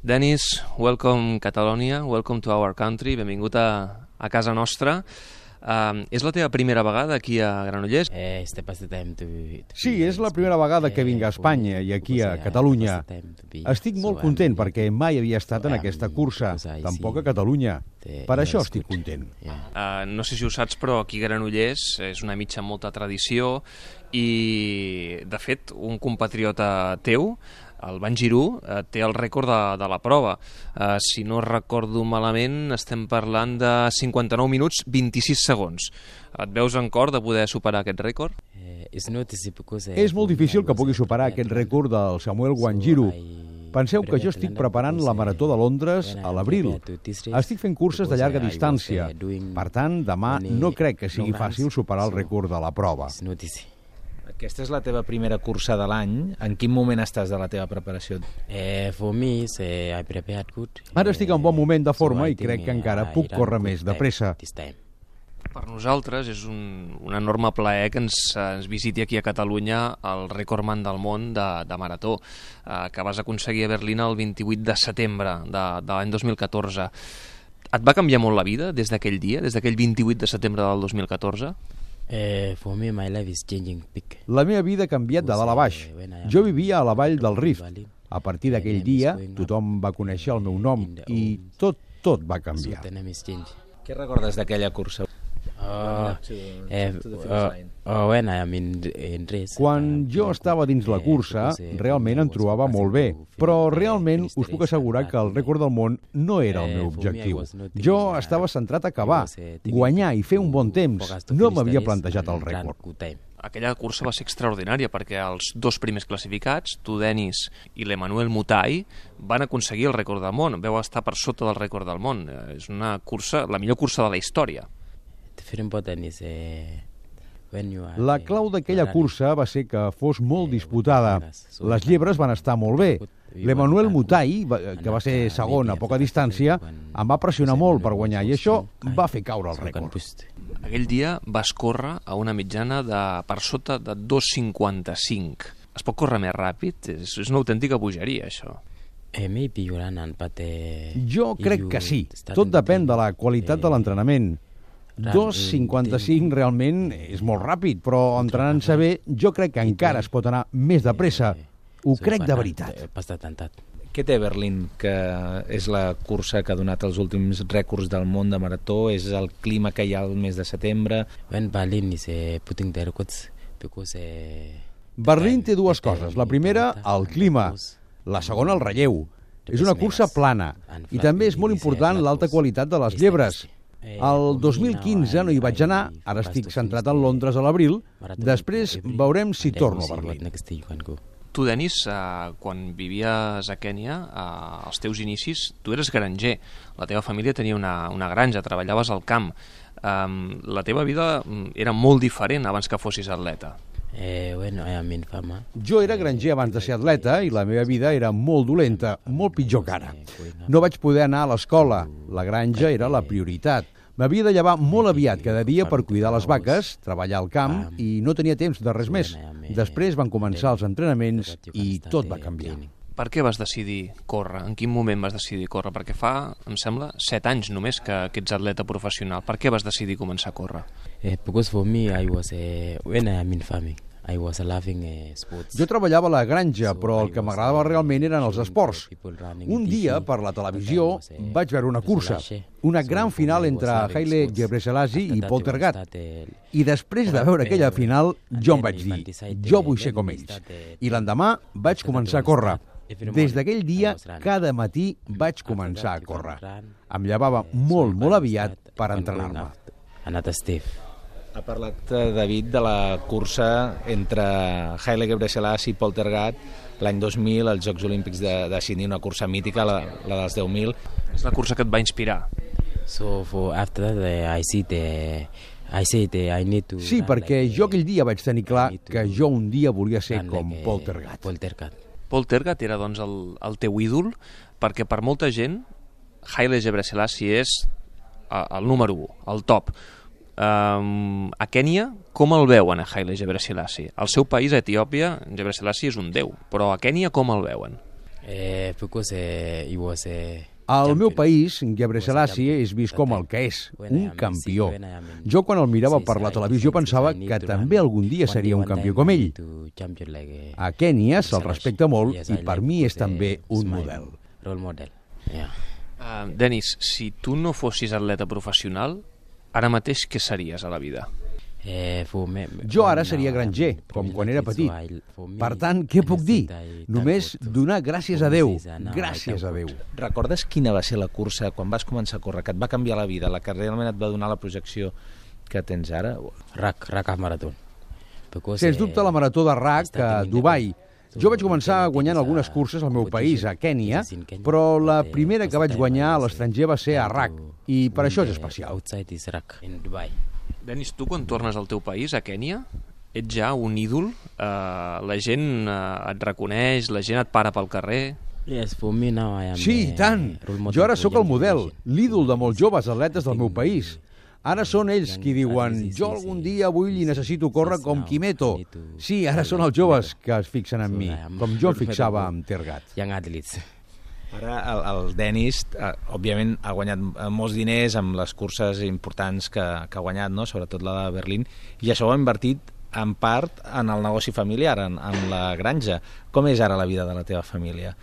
Dennis, welcome Catalonia, welcome to our country, benvingut a casa nostra. És la teva primera vegada aquí a Granollers? Sí, és la primera vegada que vinc a Espanya i aquí a Catalunya. Estic molt content perquè mai havia estat en aquesta cursa, tampoc a Catalunya. Per això estic content. No sé si ho saps, però aquí a Granollers és una mitja amb molta tradició i, de fet, un compatriota teu, el Van Girú, té el rècord de la prova. Si no recordo malament, estem parlant de 59 minuts 26 segons. Et veus en cor de poder superar aquest rècord? És molt difícil que pugui superar aquest rècord del Samuel Wanjiru. Penseu que jo estic preparant la Marató de Londres a l'abril. Estic fent curses de llarga distància. Per tant, demà no crec que sigui fàcil superar el rècord de la prova. Aquesta és la teva primera cursa de l'any. En quin moment estàs de la teva preparació? Ara estic en bon moment de forma i crec que encara puc córrer més de pressa. Per nosaltres és un enorme plaer que ens visiti aquí a Catalunya el recordman del món de marató, que vas aconseguir a Berlín el 28 de setembre de l'any 2014. Et va canviar molt la vida des d'aquell dia, des d'aquell 28 de setembre del 2014? La meva vida ha canviat de dalt a baix. Jo vivia a la vall del Rift. A partir d'aquell dia, tothom va conèixer el meu nom i tot va canviar. Què recordes d'aquella cursa? Quan jo estava dins la cursa, realment em trobava molt bé, però realment us puc assegurar que el rècord del món no era el meu objectiu. Jo estava centrat a acabar, guanyar i fer un bon temps. No m'havia plantejat el rècord. Aquella cursa va ser extraordinària perquè els dos primers classificats, tu, Dennis, i l'Emmanuel Mutai, van aconseguir el rècord del món. Veu estar per sota del rècord del món. És una cursa, la millor cursa de la història. La clau d'aquella cursa va ser que fos molt disputada. Les llebres van estar molt bé. L'Emmanuel Mutai, que va ser segon a poca distància, em va pressionar molt per guanyar i això va fer caure el rècord. Aquell dia vas córrer a una mitjana per sota de 2,55. Es pot córrer més ràpid? És una autèntica bogeria, això. Jo crec que sí. Tot depèn de la qualitat de l'entrenament. 2,55 realment és molt ràpid, però entrenant-se bé jo crec que encara es pot anar més de pressa. Ho crec de veritat. Què té Berlín, que és la cursa que ha donat els últims rècords del món de marató? És el clima que hi ha el mes de setembre? Berlín té dues coses. La primera, el clima. La segona, el relleu. És una cursa plana. I també és molt important l'alta qualitat de les llebres. El 2015 no hi vaig anar, ara estic centrat en Londres a l'abril, després veurem si torno a Berlín. Tu, Dennis, quan vivies a Kènia, als teus inicis, tu eres granger. La teva família tenia una granja, treballaves al camp. La teva vida era molt diferent abans que fossis atleta. Jo era granger abans de ser atleta i la meva vida era molt dolenta, molt pitjor que ara. No vaig poder anar a l'escola, la granja era la prioritat. M'havia de llevar molt aviat cada dia per cuidar les vaques, treballar al camp i no tenia temps de res més. Després van començar els entrenaments i tot va canviar. Per què vas decidir córrer? En quin moment vas decidir córrer? Perquè fa, em sembla, 7 anys només que ets atleta professional. Per què vas decidir començar a córrer? Jo treballava a la granja, però el que m'agradava realment eren els esports. Un dia, per la televisió, vaig veure una cursa, una gran final entre Haile Gebrselassie i Poltergat. I després de veure aquella final, jo em vaig dir, jo vull ser com ells. I l'endemà vaig començar a córrer. Des d'aquell dia, cada matí vaig començar a córrer. Em llevava molt aviat per entrenar-me. Ha parlat, David, de la cursa entre Haile Gebrselassie i Poltergat l'any 2000, als Jocs Olímpics de Sydney, una cursa mítica, la dels 10.000. És la cursa que et va inspirar. Sí, perquè jo aquell dia vaig tenir clar que jo un dia volia ser com Poltergat. Poltergat era, doncs, el teu ídol, perquè per molta gent Haile Gebrselassie és el número 1, el top. A Kènia, com el veuen a Haile Gebrselassie? Al seu país, a Etiòpia, Gebrselassie és un déu, però a Kènia com el veuen? Because he was Al meu país, Gebre Selassie és vist com el que és, un campió. Jo, quan el mirava per la televisió, pensava que també algun dia seria un campió com ell. A Kènia se'l respecta molt i per mi és també un model. Denis, si tu no fossis atleta professional, ara mateix què series a la vida? Jo ara seria granger, com quan era petit. Per tant, què puc dir? Només donar gràcies a Déu. Gràcies a Déu. Recordes quina va ser la cursa quan vas començar a córrer, que et va canviar la vida, la que realment et va donar la projecció que tens ara? RAC Marathon. Sens dubte la marató de RAC a Dubai. Jo vaig començar guanyant algunes curses al meu país, a Kènia, però la primera que vaig guanyar a l'estranger va ser a RAC, i per això és especial. Denis, tu quan tornes al teu país, a Kènia, ets ja un ídol? La gent et reconeix, la gent et para pel carrer? Sí, i tant! Jo ara sóc el model, l'ídol de molts joves atletes del meu país. Ara són ells qui diuen, jo algun dia vull i necessito córrer com Kimeto. Sí, ara són els joves que es fixen en mi, com jo em fixava amb Tergat. Ara el Denis, òbviament, ha guanyat molts diners amb les curses importants que ha guanyat, no? Sobretot la de Berlín, i això ho ha invertit en part en el negoci familiar, en la granja. Com és ara la vida de la teva família?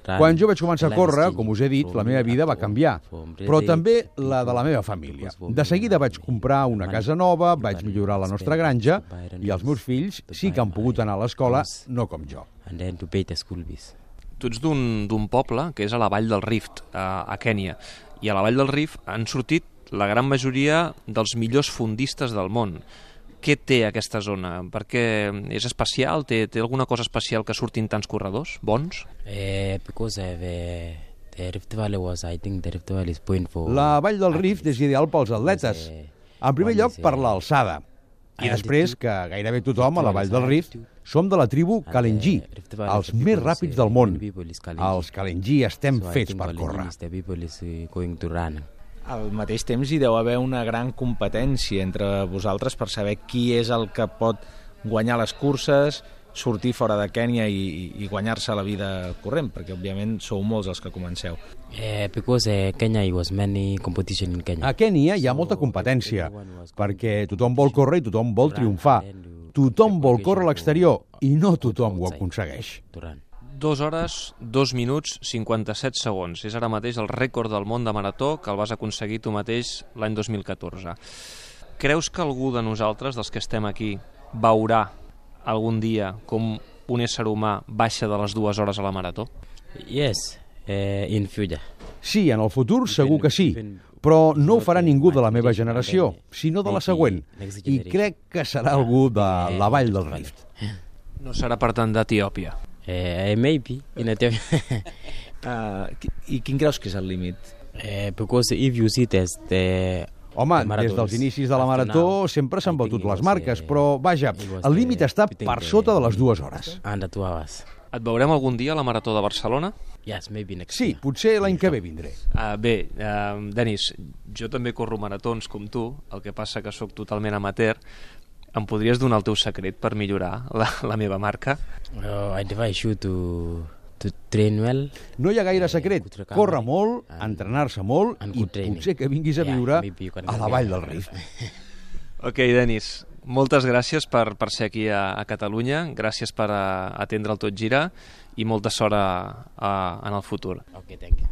Quan jo vaig començar a córrer, com us he dit, la meva vida va canviar, però també la de la meva família. De seguida vaig comprar una casa nova, vaig millorar la nostra granja, i els meus fills sí que han pogut anar a l'escola, no com jo. Tu ets d'un poble que és a la Vall del Rift, a Kènia, i a la Vall del Rift han sortit la gran majoria dels millors fondistes del món. Què té aquesta zona? Perquè és especial? Té alguna cosa especial que surtin tants corredors bons? La Vall del Rift és ideal pels atletes. En primer lloc, per l'alçada. I després, que gairebé tothom a la Vall del Rift som de la tribu Kalenjin, els més ràpids del món. Els Kalenjin estem fets per córrer. Al mateix temps hi deu haver una gran competència entre vosaltres per saber qui és el que pot guanyar les curses, sortir fora de Kènia i guanyar-se la vida corrent, perquè òbviament sou molts els que comenceu. A Kènia hi ha molta competència, perquè tothom vol córrer i tothom vol triomfar. Tothom vol córrer a l'exterior i no tothom ho aconsegueix. 2 hores, 2 minuts, 57 segons. És ara mateix el rècord del món de marató que el vas aconseguir tu mateix l'any 2014. Creus que algú de nosaltres, dels que estem aquí, veurà algun dia com un ésser humà baixa de les 2 hores a la marató? Sí, en el futur segur que sí, però no ho farà ningú de la meva generació, sinó de la següent, i crec que serà algú de la Vall del Rift. No serà, per tant, d'Etiòpia? Maybe, in Ethiopia. I quin creus que és el límit? Because if you see the Home, des dels inicis de la marató sempre s'han batut les marques, però, vaja, el límit està per sota de les 2 hores. Et veurem algun dia a la marató de Barcelona? Sí, potser l'any que ve vindré. Bé, Denis, jo també corro maratons com tu, el que passa que sóc totalment amateur. Em podries donar el teu secret per millorar la meva marca? I advise you to train well. No hi ha gaire secret. Córrer molt, entrenar-se molt i potser que vinguis a viure a la Vall del Rift. Ok, Denis, moltes gràcies per ser aquí a Catalunya, gràcies per atendre el Tot Gira i molta sort en el futur. Ok, thank you.